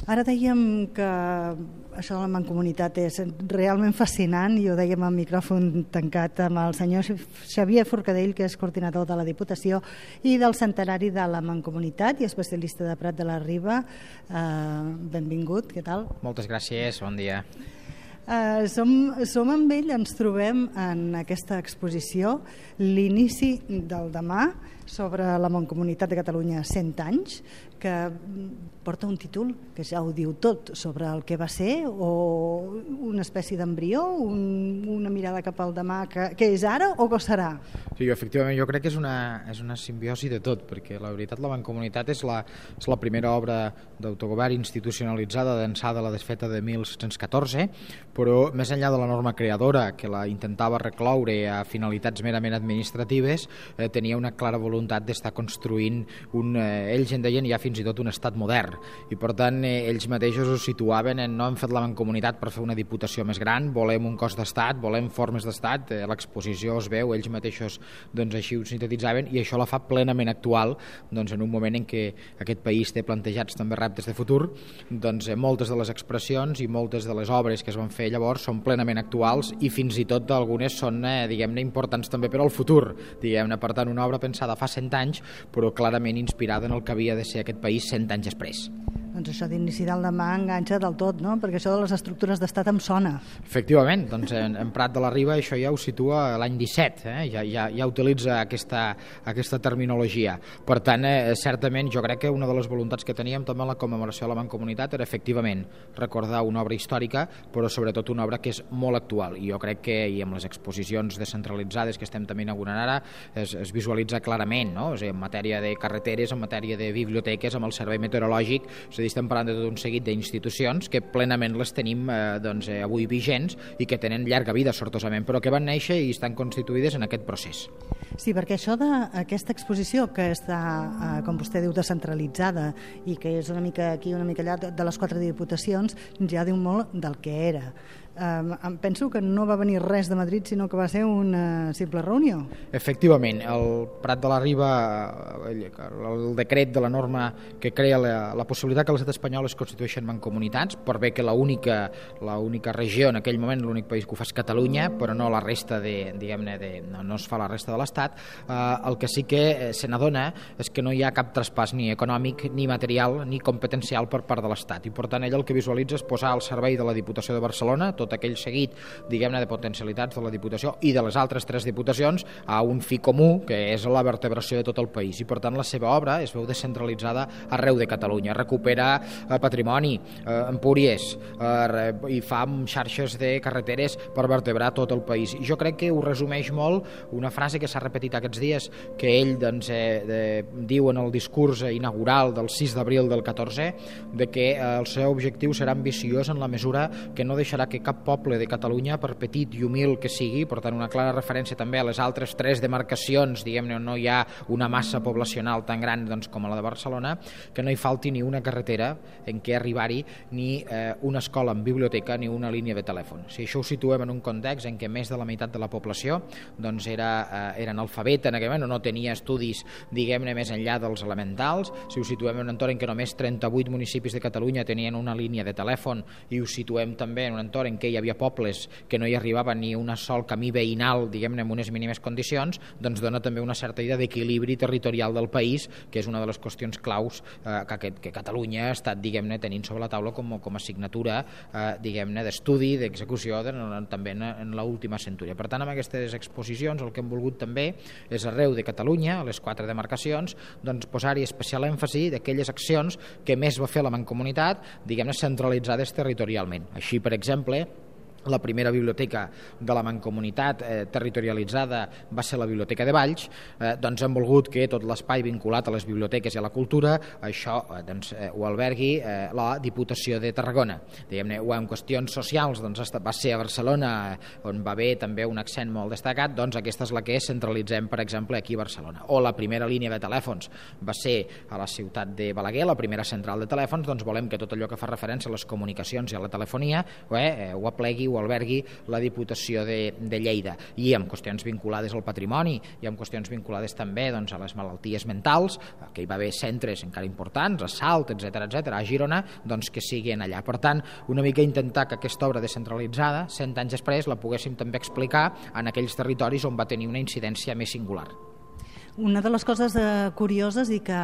Ara dèiem que això de la Mancomunitat és realment fascinant i ho dèiem al micròfon tancat amb el senyor Xavier Forcadell, que és coordinador de la Diputació i del centenari de la Mancomunitat i especialista de Prat de la Riba. Benvingut, què tal? Moltes gràcies, bon dia. Som amb ell, ens trobem en aquesta exposició, l'inici del demà sobre la Mancomunitat de Catalunya 100 anys, que porta un títol que ja ho diu tot sobre el que va ser, o una espècie d'embrió, una mirada cap al demà que és ara o que serà? Sí, efectivament, jo crec que és una simbiosi de tot, perquè la veritat la Mancomunitat és la primera obra d'autogovern institucionalitzada d'ençà de la desfeta de 1714, però més enllà de la norma creadora, que la intentava recloure a finalitats merament administratives, tenia una clara voluntat d'estar construint ells en deien ja fins i tot un estat modern, i per tant ells mateixos ho situaven en no hem fet la Mancomunitat per fer una diputació més gran, volem un cos d'estat, volem formes d'estat, l'exposició es veu, ells mateixos doncs així ho sintetitzaven, i això la fa plenament actual doncs, en un moment en què aquest país té plantejats també reptes de futur. Doncs moltes de les expressions i moltes de les obres que es van fer llavors són plenament actuals i fins i tot algunes són diguem-ne importants també per al futur, diguem-ne. Per tant, una obra pensada fa 100 anys però clarament inspirada en el que havia de ser aquest país 100 anys després. Doncs això d'inici del demà enganxa del tot, no? Perquè això de les estructures d'estat em sona. Efectivament, doncs en Prat de la Riba això ja ho situa l'any 17, ja utilitza aquesta terminologia. Per tant, certament jo crec que una de les voluntats que teníem també en la commemoració de la Mancomunitat era efectivament recordar una obra històrica, però sobretot una obra que és molt actual, i jo crec que i amb les exposicions descentralitzades que estem també inaugurant ara es visualitza clarament, no? És a dir, en matèria de carreteres, en matèria de biblioteques, amb el servei meteorològic, és a dir, estem parlant de tot un seguit d'institucions que plenament les tenim avui vigents i que tenen llarga vida, sortosament, però que van néixer i estan constituïdes en aquest procés. Sí, perquè això d'aquesta exposició que està, com vostè diu, descentralitzada i que és una mica aquí, una mica allà de les 4 diputacions, ja diu molt del que era. Em penso que no va venir res de Madrid, sinó que va ser una simple reunió. Efectivament, el Prat de la Riba, el decret de la norma que crea la possibilitat que l'estat espanyol es constitueixen mancomunitats, per bé que l'única regió en aquell moment, l'únic país que ho fa és Catalunya, però no la resta no es fa la resta de l'Estat. El que sí que se n'adona és que no hi ha cap traspàs ni econòmic, ni material, ni competencial per part de l'Estat, i per tant ell el que visualitza és posar al servei de la Diputació de Barcelona tot aquell seguit, diguem-ne, de potencialitats de la Diputació i de les altres 3 diputacions a un fi comú, que és la vertebració de tot el país, i per tant la seva obra es veu descentralitzada arreu de Catalunya, recupera patrimoni, empúries, i fa xarxes de carreteres per vertebrar tot el país. I jo crec que ho resumeix molt una frase que s'ha repetit aquests dies, que ell diu en el discurs inaugural del 6 d'abril del 14, de que el seu objectiu serà ambiciós en la mesura que no deixarà que cap poble de Catalunya, per petit i humil que sigui, per tant una clara referència també a les altres 3 demarcacions, diguem-ne, on no hi ha una massa poblacional tan gran com la de Barcelona, que no hi falti ni una carretera en què arribar-hi, ni una escola amb biblioteca, ni una línia de telèfon. Si això ho situem en un context en què més de la meitat de la població era analfabeta en aquell moment, no tenia estudis, diguem-ne, més enllà dels elementals, si ho situem en un entorn en què només 38 municipis de Catalunya tenien una línia de telèfon, i ho situem també en un entorn en què hi havia pobles que no hi arribava ni un sol camí veïnal, diguem-ne, en unes mínimes condicions, doncs dona també una certa idea d'equilibri territorial del país, que és una de les qüestions claus que Catalunya ha estat, diguem-ne, tenint sobre la taula com a assignatura, diguem-ne, d'estudi, d'execució, també en l'última centúria. Per tant, amb aquestes exposicions el que hem volgut també és arreu de Catalunya, a les 4 demarcacions, doncs posar-hi especial èmfasi d'aquelles accions que més va fer la Mancomunitat, diguem-ne, centralitzades territorialment. Així, per exemple, la primera biblioteca de la Mancomunitat territorialitzada va ser la Biblioteca de Valls. Doncs hem volgut que tot l'espai vinculat a les biblioteques i a la cultura, això ho albergui la Diputació de Tarragona. Diguem-ne, en qüestions socials va ser a Barcelona, on va haver també un accent molt destacat, doncs aquesta és la que centralitzem, per exemple, aquí a Barcelona. O la primera línia de telèfons va ser a la ciutat de Balaguer, la primera central de telèfons, doncs volem que tot allò que fa referència a les comunicacions i a la telefonia ho aplegui, ho albergui la Diputació de Lleida, i amb qüestions vinculades al patrimoni i amb qüestions vinculades també doncs, a les malalties mentals, que hi va haver centres encara importants, a Salt, etc a Girona, doncs que siguin allà. Per tant, una mica intentar que aquesta obra descentralitzada, 100 anys després, la poguéssim també explicar en aquells territoris on va tenir una incidència més singular. Una de les coses curioses i que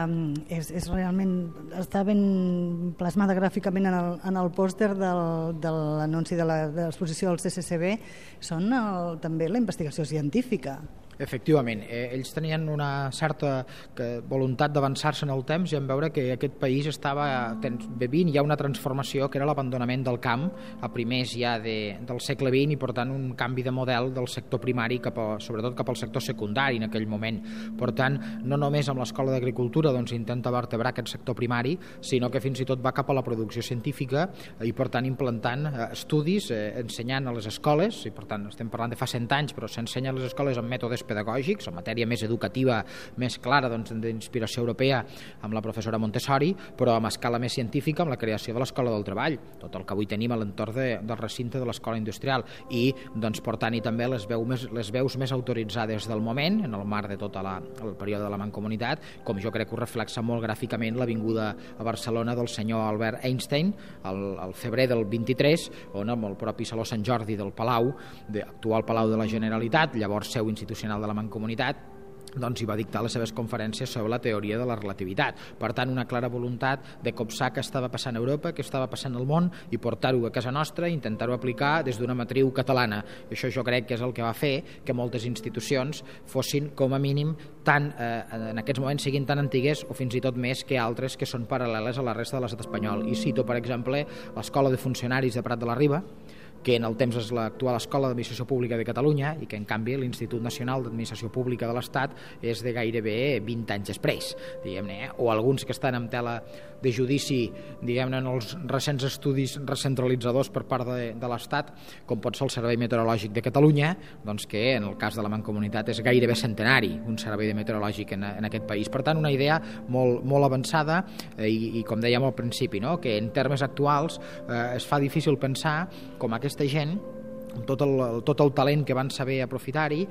és realment està ben plasmada gràficament en el pòster de l'anunci de l'exposició del CCCB són també la investigació científica. Efectivament, ells tenien una certa voluntat d'avançar-se en el temps i en veure que aquest país estava vivint ja una transformació que era l'abandonament del camp a primers ja del segle XX, i per tant un canvi de model del sector primari sobretot cap al sector secundari en aquell moment. Per tant, no només amb l'Escola d'Agricultura doncs, intenta vertebrar aquest sector primari, sinó que fins i tot va cap a la producció científica i per tant implantant estudis, ensenyant a les escoles, i per tant estem parlant de fa 100 anys, però s'ensenya a les escoles amb mètodes pedagògics, en matèria més educativa, més clara, doncs, d'inspiració europea, amb la professora Montessori, però amb escala més científica, amb la creació de l'Escola del Treball, tot el que avui tenim a l'entorn del recinte de l'Escola Industrial, i doncs, portant-hi també les veus més autoritzades del moment, en el marc de tot el període de la Mancomunitat, com jo crec que ho reflexa molt gràficament la vinguda a Barcelona del senyor Albert Einstein, al febrer del 23, on amb el propi Saló Sant Jordi del Palau, actual Palau de la Generalitat, llavors seu institucional de la Mancomunitat, doncs hi va dictar les seves conferències sobre la teoria de la relativitat. Per tant, una clara voluntat de copsar què estava passant a Europa, què estava passant al món, i portar-ho a casa nostra i intentar-ho aplicar des d'una matriu catalana. I això jo crec que és el que va fer que moltes institucions fossin, com a mínim, en aquests moments siguin tan antigues o fins i tot més que altres que són paral·leles a la resta de l'estat espanyol. I cito, per exemple, l'Escola de Funcionaris de Prat de la Riba, que en el temps és l'actual Escola d'Administració Pública de Catalunya i que en canvi l'Institut Nacional d'Administració Pública de l'Estat és de gairebé 20 anys després, diguem-ne, o alguns que estan en tela de judici, diguem-ne, en els recents estudis recentralitzadors per part de l'Estat, com pot ser el Servei Meteorològic de Catalunya, doncs que en el cas de la Mancomunitat és gairebé centenari, un servei meteorològic en aquest país. Per tant, una idea molt, molt avançada i com dèiem al principi, no? Que en termes actuals es fa difícil pensar com aquesta gent, amb tot el talent que van saber aprofitar-hi,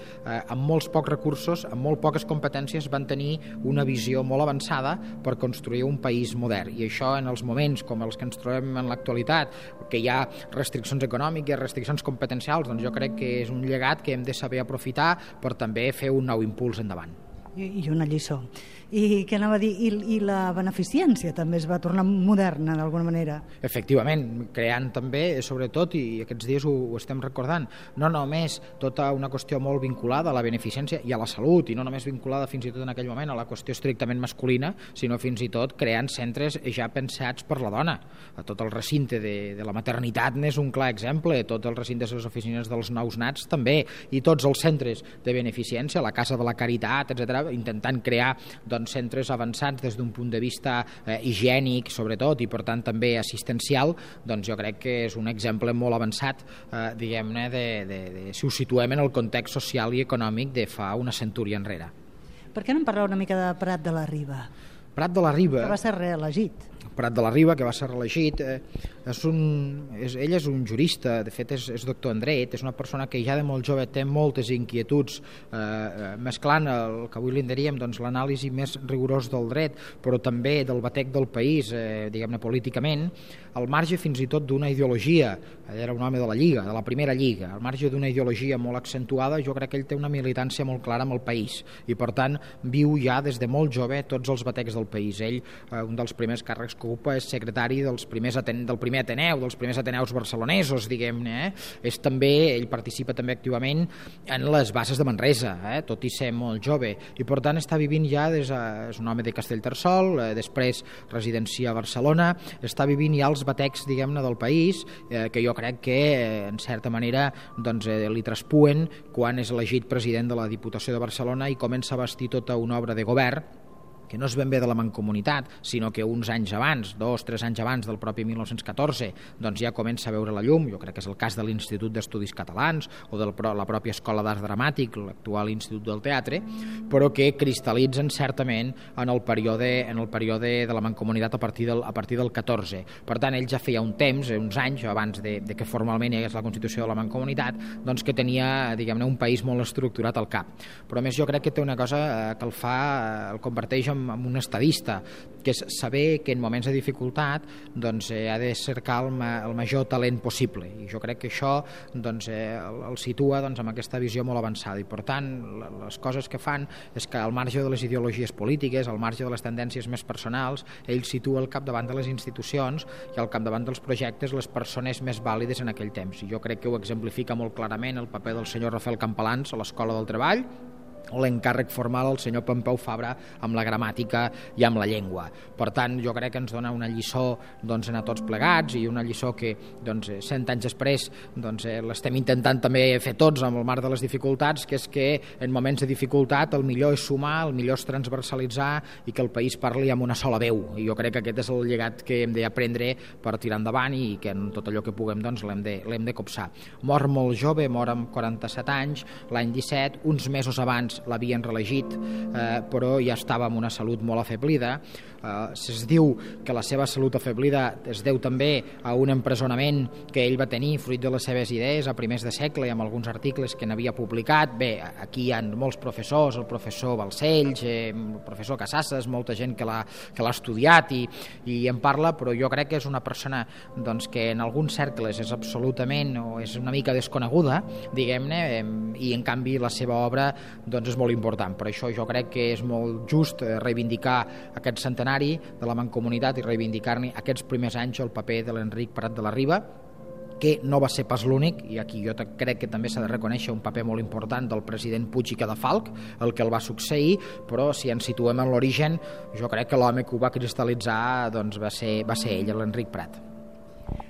amb molts pocs recursos, amb molt poques competències, van tenir una visió molt avançada per construir un país modern. I això, en els moments com els que ens trobem en l'actualitat, que hi ha restriccions econòmiques, restriccions competencials, doncs jo crec que és un llegat que hem de saber aprofitar per també fer un nou impuls endavant. I una lliçó. I què anava a dir? I la beneficència també es va tornar moderna d'alguna manera? Efectivament, creant també, sobretot, i aquests dies ho estem recordant, no només tota una qüestió molt vinculada a la beneficència i a la salut, i no només vinculada fins i tot en aquell moment a la qüestió estrictament masculina, sinó fins i tot creant centres ja pensats per la dona. Tot el recinte de la maternitat n'és un clar exemple, tot el recinte de les oficines dels nous nats també, i tots els centres de beneficència, la Casa de la Caritat, etc., intentant crear centres avançats des d'un punt de vista higiènic, sobretot, i per tant també assistencial, doncs jo crec que és un exemple molt avançat, diguem-ne, si ho situem en el context social i econòmic de fa una centúria enrere. Per què no em parleu una mica de Prat de la Riba? Prat de la Riba... Que va ser reelegit. Prat de la Riba, que va ser reelegit, ell és un jurista, de fet és doctor en dret, és una persona que ja de molt jove té moltes inquietuds, mesclant el que avui li en diríem l'anàlisi més rigorós del dret, però també del batec del país, diguem-ne políticament, al marge fins i tot d'una ideologia. Ell era un home de la Lliga, de la primera Lliga, al marge d'una ideologia molt accentuada. Jo crec que ell té una militància molt clara amb el país i per tant viu ja des de molt jove tots els batecs del país. Ell, un dels primers càrrecs que ocupa, és secretari del primer Ateneu, dels primers Ateneus barcelonesos, diguem-ne. Ell participa també activament en les bases de Manresa, tot i ser molt jove, i per tant està vivint ja és un home de Castellterçol, després residencia a Barcelona, està vivint ja els batecs, diguem-ne, del país, que jo crec que en certa manera li traspuen quan és elegit president de la Diputació de Barcelona i comença a bastir tota una obra de govern que no és ben bé de la Mancomunitat, sinó que uns anys abans, 2-3 anys abans del propi 1914, doncs ja comença a veure la llum. Jo crec que és el cas de l'Institut d'Estudis Catalans o de la pròpia Escola d'Art Dramàtic, l'actual Institut del Teatre, però que cristal·litzen certament en el període de la Mancomunitat a partir del 14. Per tant, ell ja feia un temps, uns anys, abans de que formalment hi hagués la Constitució de la Mancomunitat, doncs que tenia, diguem-ne, un país molt estructurat al cap. Però a més jo crec que té una cosa que el converteix en un estadista, que és saber que en moments de dificultat doncs, ha de cercar el major talent possible, i jo crec que això doncs, el situa doncs, amb aquesta visió molt avançada, i per tant les coses que fan és que al marge de les ideologies polítiques, al marge de les tendències més personals, ell situa al capdavant de les institucions i al capdavant dels projectes les persones més vàlides en aquell temps, i jo crec que ho exemplifica molt clarament el paper del senyor Rafael Campalans a l'Escola del Treball, o l'encàrrec formal al senyor Pompeu Fabra amb la gramàtica i amb la llengua. Per tant, jo crec que ens dona una lliçó doncs, a tots plegats, i una lliçó que doncs, 100 anys després doncs, l'estem intentant també fer tots amb el marc de les dificultats, que és que en moments de dificultat el millor és sumar, el millor és transversalitzar i que el país parli amb una sola veu, i jo crec que aquest és el llegat que hem d'aprendre per tirar endavant i que en tot allò que puguem doncs, l'hem de copsar. Mor molt jove, mor amb 47 anys, l'any 17, uns mesos abans l'havien reelegit, però ja estava amb una salut molt afeblida. Es diu que la seva salut afeblida es deu també a un empresonament que ell va tenir fruit de les seves idees a primers de segle i amb alguns articles que n'havia publicat. Bé, aquí hi ha molts professors, el professor Balcells, el professor Casasses, molta gent que l'ha estudiat i en parla, però jo crec que és una persona doncs, que en alguns cercles és absolutament o és una mica desconeguda, diguem-ne, i en canvi la seva obra doncs, és molt important. Per això jo crec que és molt just reivindicar aquest centenari de la Mancomunitat i reivindicar-ne aquests primers anys el paper de l'Enric Prat de la Riba, que no va ser pas l'únic, i aquí jo crec que també s'ha de reconèixer un paper molt important del president Puig i Cadafalch, el que el va succeir, però si ens situem en l'origen, jo crec que l'home que ho va cristal·litzar doncs, va ser ell, l'Enric Prat.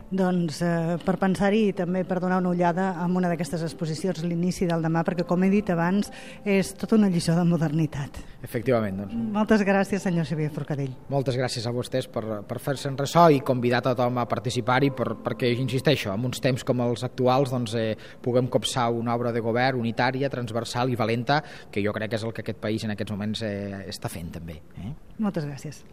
Doncs per pensar-hi i també per donar una ullada en una d'aquestes exposicions, l'inici del demà, perquè com he dit abans és tota una lliçó de modernitat. Efectivament. Doncs. Moltes gràcies, senyor Xavier Forcadell. Moltes gràcies a vostès per fer-se'n ressò i convidar tothom a participar-hi perquè, insisteixo, en uns temps com els actuals doncs, puguem copsar una obra de govern unitària, transversal i valenta, que jo crec que és el que aquest país en aquests moments està fent també. Moltes gràcies.